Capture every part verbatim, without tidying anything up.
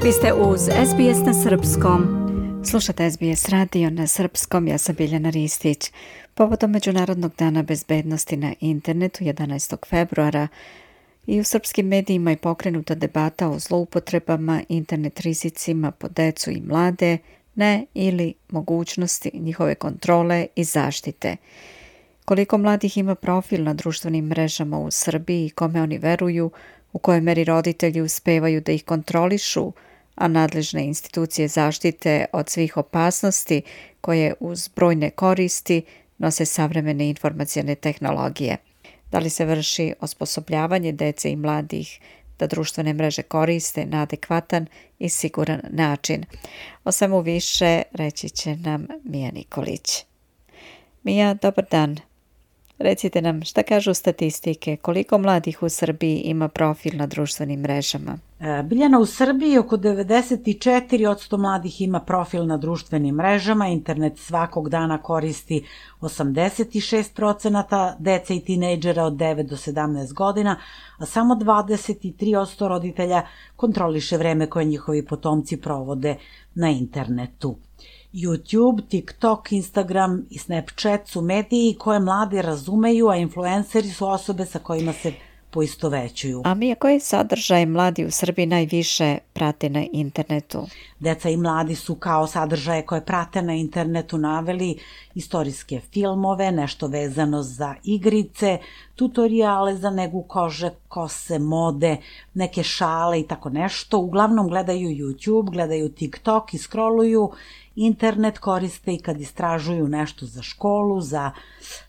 Vi ste uz S B S na srpskom. Slušate S B S radio na srpskom, ja sam Biljana Ristić. Povodom Međunarodnog dana bezbednosti na internetu jedanaestog februara i u srpskim medijima je pokrenuta debata o zloupotrebama, internet rizicima po decu i mlade, ne ili mogućnosti njihove kontrole i zaštite. Koliko mladih ima profil na društvenim mrežama u Srbiji i kome oni veruju, u kojoj meri roditelji uspevaju da ih kontrolišu, a nadležne institucije zaštite od svih opasnosti koje uz brojne koristi nose savremene informacione tehnologije. Da li se vrši osposobljavanje dece i mladih da društvene mreže koriste na adekvatan i siguran način? O svemu više reći će nam Mija Nikolić. Mija, dobar dan. Recite nam šta kažu statistike, koliko mladih u Srbiji ima profil na društvenim mrežama? Biljana, u Srbiji oko devedeset četiri posto mladih ima profil na društvenim mrežama, internet svakog dana koristi osamdeset šest procenata dece i tinejdžera od devet do sedamnaest godina, a samo dvadeset tri posto roditelja kontroliše vreme koje njihovi potomci provode na internetu. YouTube, TikTok, Instagram i Snapchat su mediji koje mladi razumeju, a influenceri su osobe sa kojima se poistovećuju. A Mija, koje sadržaje mladi u Srbiji najviše prate na internetu? Deca i mladi su kao sadržaje koje prate na internetu naveli istorijske filmove, nešto vezano za igrice, tutoriale za negu kože, kose, mode, neke šale i tako nešto. Uglavnom gledaju YouTube, gledaju TikTok i scrolluju. Internet koriste i kad istražuju nešto za školu, za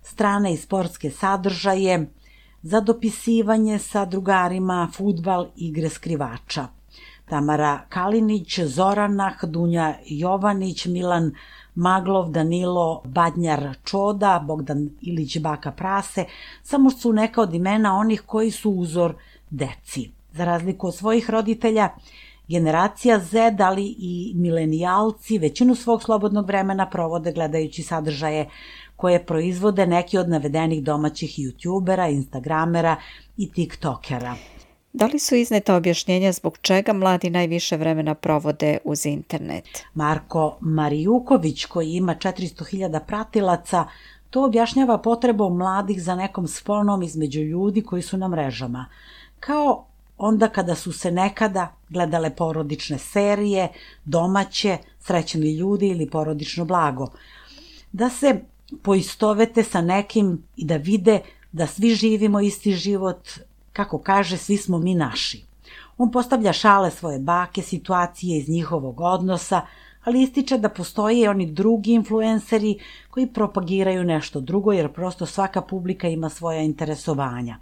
strane i sportske sadržaje, za dopisivanje sa drugarima, fudbal, igre skrivača. Tamara Kalinić, Zoranah, Dunja Jovanić, Milan Maglov, Danilo Badnjar Čoda, Bogdan Ilić Baka Prase, samo su neka od imena onih koji su uzor deci. Za razliku od svojih roditelja, generacija Z, ali i milenijalci većinu svog slobodnog vremena provode gledajući sadržaje koje proizvode neki od navedenih domaćih youtubera, instagramera i tiktokera. Da li su izneta objašnjenja zbog čega mladi najviše vremena provode uz internet? Marko Marijuković, koji ima četiristo hiljada pratilaca, to objašnjava potrebom mladih za nekom sponom između ljudi koji su na mrežama. Kao onda kada su se nekada gledale porodične serije, domaće, srećni ljudi ili porodično blago. Da se poistovete sa nekim i da vide da svi živimo isti život, kako kaže, svi smo mi naši. On postavlja šale svoje bake, situacije iz njihovog odnosa, ali ističe da postoje i oni drugi influenceri koji propagiraju nešto drugo, jer prosto svaka publika ima svoja interesovanja.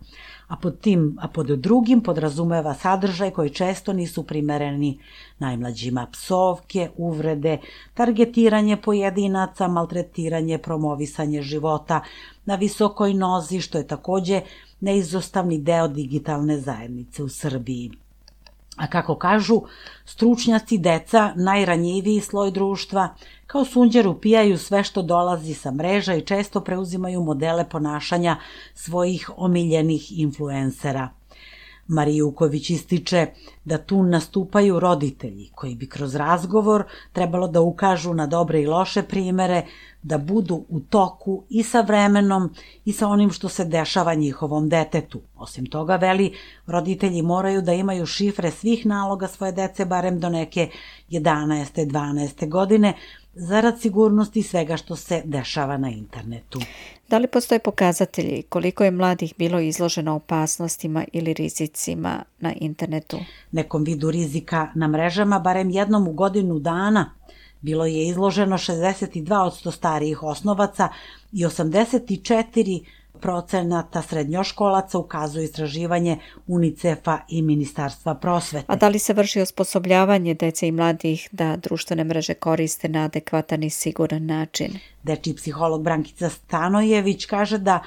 A pod tim, a pod drugim podrazumeva sadržaj koji često nisu primereni najmlađima: psovke, uvrede, targetiranje pojedinaca, maltretiranje, promovisanje života na visokoj nozi, što je takođe neizostavni deo digitalne zajednice u Srbiji. A kako kažu stručnjaci, deca, najranjiviji sloj društva, kao sunđer upijaju sve što dolazi sa mreža i često preuzimaju modele ponašanja svojih omiljenih influencera. Marijuković ističe da tu nastupaju roditelji koji bi kroz razgovor trebalo da ukažu na dobre i loše primere, da budu u toku i sa vremenom i sa onim što se dešava njihovom detetu. Osim toga, veli, roditelji moraju da imaju šifre svih naloga svoje dece barem do neke jedanaeste dvanaeste godine, zarad sigurnosti svega što se dešava na internetu. Da li postoje pokazatelji koliko je mladih bilo izloženo opasnostima ili rizicima na internetu? Nekom vidu rizika na mrežama barem jednom u godinu dana bilo je izloženo šezdeset dva posto starijih osnovaca i osamdeset četiri procenata srednjoškolaca, ukazuje istraživanje UNICEF-a i Ministarstva prosvete. A da li se vrši osposobljavanje dece i mladih da društvene mreže koriste na adekvatan i siguran način? Dečiji psiholog Brankica Stanojević kaže da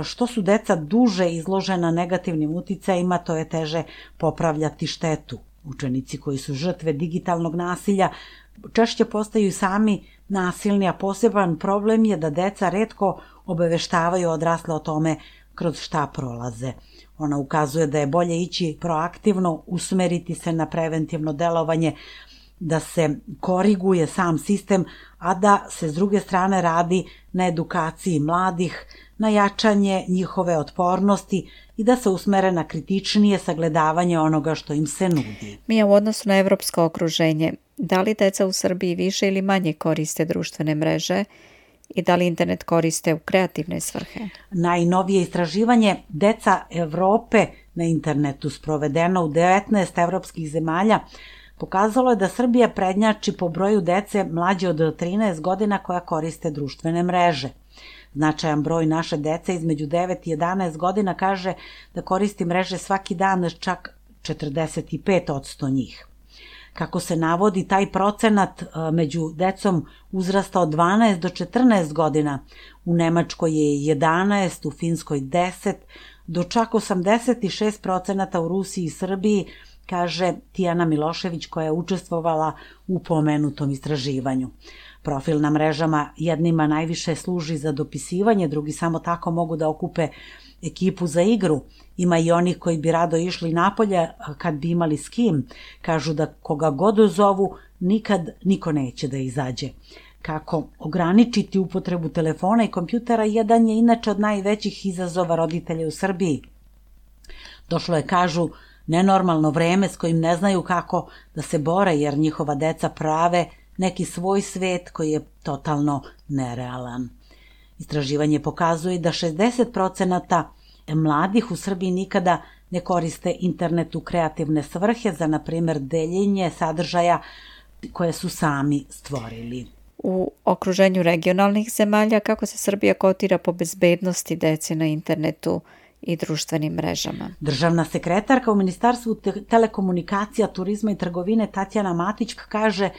što su deca duže izložena negativnim uticajima, to je teže popravljati štetu. Učenici koji su žrtve digitalnog nasilja češće postaju sami nasilni, a poseban problem je da deca retko obaveštavaju odrasle o tome kroz šta prolaze. Ona ukazuje da je bolje ići proaktivno, usmeriti se na preventivno delovanje, da se koriguje sam sistem, a da se s druge strane radi na edukaciji mladih, na jačanje njihove otpornosti i da se usmere na kritičnije sagledavanje onoga što im se nudi. Mija, u odnosu na evropsko okruženje, da li deca u Srbiji više ili manje koriste društvene mreže i da li internet koriste u kreativne svrhe? Najnovije istraživanje Deca Evrope na internetu, sprovedeno u devetnaest evropskih zemalja, pokazalo je da Srbija prednjači po broju dece mlađe od trinaest godina koja koriste društvene mreže. Značajan broj naše dece između devet i jedanaest godina kaže da koristi mreže svaki dan, čak četrdeset pet posto njih. Kako se navodi, taj procenat među decom uzrasta od dvanaest do četrnaest godina. U Nemačkoj je jedanaest, u Finskoj deset, do čak osamdeset šest procenata u Rusiji i Srbiji, kaže Tijana Milošević koja je učestvovala u pomenutom istraživanju. Profil na mrežama jednima najviše služi za dopisivanje, drugi samo tako mogu da okupe ekipu za igru. Ima i onih koji bi rado išli napolje kad bi imali s kim. Kažu da koga god zovu, nikad niko neće da izađe. Kako ograničiti upotrebu telefona i kompjutera jedan je inače od najvećih izazova roditelja u Srbiji. Došlo je, kažu, nenormalno vreme s kojim ne znaju kako da se bore jer njihova deca prave neki svoj svet koji je totalno nerealan. Istraživanje pokazuje da šezdeset procenata mladih u Srbiji nikada ne koriste internet u kreativne svrhe za, na primjer, deljenje sadržaja koje su sami stvorili. U okruženju regionalnih zemalja kako se Srbija kotira po bezbednosti dece na internetu i društvenim mrežama? Državna sekretarka u Ministarstvu te- telekomunikacija, turizma i trgovine Tatjana Matić kaže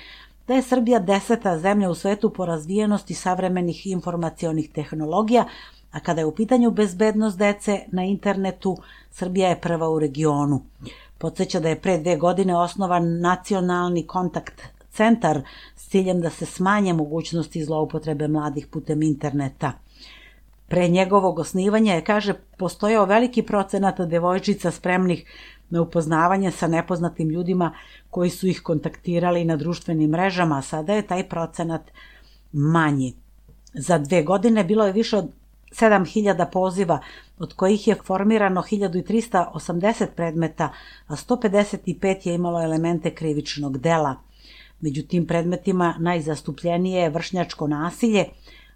da je Srbija deseta zemlja u svetu po razvijenosti savremenih informacionih tehnologija, a kada je u pitanju bezbednost dece na internetu, Srbija je prva u regionu. Podsjeća da je pre dve godine osnovan nacionalni kontakt centar s ciljem da se smanje mogućnosti zloupotrebe mladih putem interneta. Pre njegovog osnivanja je, kaže, postojao veliki procenat devojčica spremnih na upoznavanje sa nepoznatim ljudima koji su ih kontaktirali na društvenim mrežama, a sada je taj procenat manji. Za dve godine bilo je više od sedam hiljada poziva, od kojih je formirano hiljadu trista osamdeset predmeta, a sto pedeset pet je imalo elemente krivičnog dela. Među tim predmetima najzastupljenije je vršnjačko nasilje,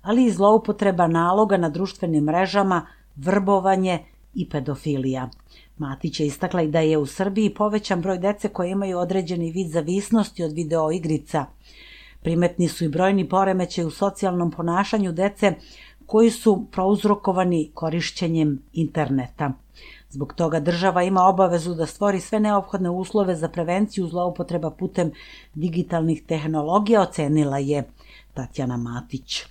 ali i zloupotreba naloga na društvenim mrežama, vrbovanje i pedofilija. Matić je istakla i da je u Srbiji povećan broj dece koje imaju određeni vid zavisnosti od video igrica. Primetni su i brojni poremećaji u socijalnom ponašanju dece koji su prouzrokovani korišćenjem interneta. Zbog toga država ima obavezu da stvori sve neophodne uslove za prevenciju zloupotreba putem digitalnih tehnologija, ocenila je Tatjana Matić.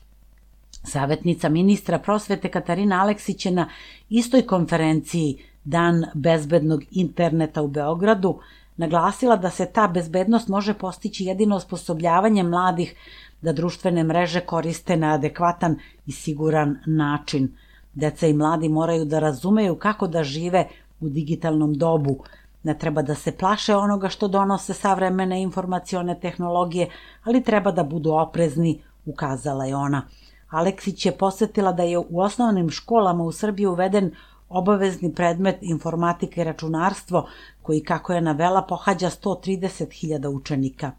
Savetnica ministra prosvete Katarina Aleksić je na istoj konferenciji Dan bezbednog interneta u Beogradu naglasila da se ta bezbednost može postići jedino osposobljavanjem mladih da društvene mreže koriste na adekvatan i siguran način. Deca i mladi moraju da razumeju kako da žive u digitalnom dobu. Ne treba da se plaše onoga što donose savremene informacione tehnologije, ali treba da budu oprezni, ukazala je ona. Aleksić je posjetila da je u osnovnim školama u Srbiji uveden obavezni predmet informatika i računarstvo, koji, kako je navela, pohađa sto trideset hiljada učenika.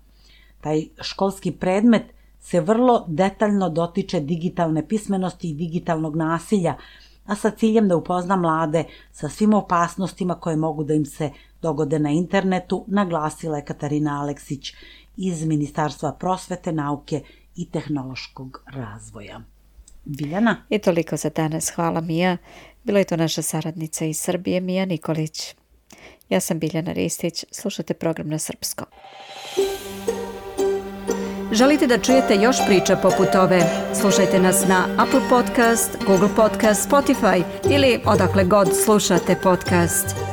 Taj školski predmet se vrlo detaljno dotiče digitalne pismenosti i digitalnog nasilja, a sa ciljem da upozna mlade sa svim opasnostima koje mogu da im se dogode na internetu, naglasila je Katarina Aleksić iz Ministarstva prosvete, nauke i tehnološkog razvoja. Biljana? I toliko za danas. Hvala, Mija. Bila je to naša saradnica iz Srbije, Mija Nikolić. Ja sam Biljana Ristić. Slušate program na srpskom. Želite da čujete još priča poput ove? Slušajte nas na Apple Podcast, Google Podcast, Spotify ili odakle god slušate podcast.